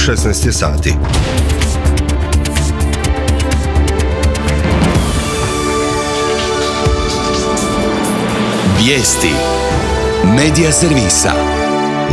16 je sati. Vijesti Medija servisa.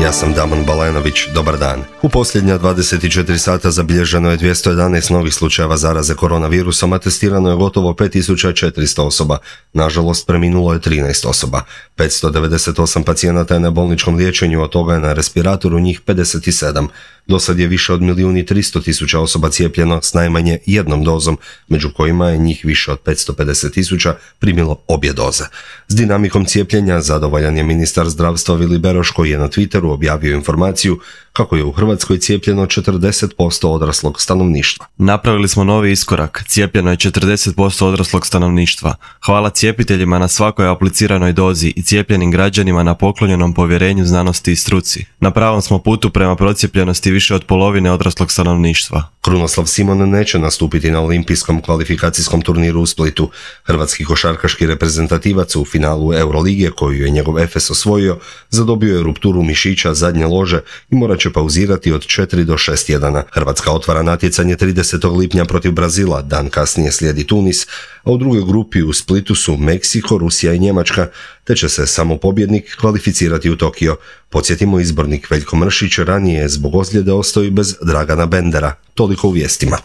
Ja sam Damon Balenović, dobar dan. U posljednja 24 sata zabilježeno je 211 novih slučajeva zaraze koronavirusom, a testirano je gotovo 5400 osoba. Nažalost, preminulo je 13 osoba. 598 pacijenata je na bolničkom liječenju, od toga je na respiratoru njih 57. Dosad je više od 1.300.000 osoba cijepljeno s najmanje jednom dozom, među kojima je njih više od 550.000 primilo obje doze. S dinamikom cijepljenja zadovoljan je ministar zdravstva Vili Beroš, koji je na Twitteru objavio informaciju kako je u Hrvatskoj cijepljeno 40% odraslog stanovništva. Napravili smo novi iskorak. Cijepljeno je 40% odraslog stanovništva. Hvala cijepiteljima na svakoj apliciranoj dozi i cijepljenim građanima na poklonjenom povjerenju znanosti i struci. Na pravom smo putu prema procijepljenosti više od polovine odraslog stanovništva. Krunoslav Simon neće nastupiti na olimpijskom kvalifikacijskom turniru u Splitu. Hrvatski košarkaški reprezentativac u finalu Eurolige, koju je njegov Efes osvojio, zadobio je rupturu mišića zadnje lože i morat će pauzirati od 4 do 6 tjedana. Hrvatska otvara natjecanje 30. lipnja protiv Brazila, dan kasnije slijedi Tunis, a u drugoj grupi u Splitu su Meksiko, Rusija i Njemačka, te će se samo pobjednik kvalificirati u Tokio. Podsjetimo, izbornik Veljko Mršić ranije je zbog ozljede ostao i bez Dragana Bendera. Toliko u vijestima.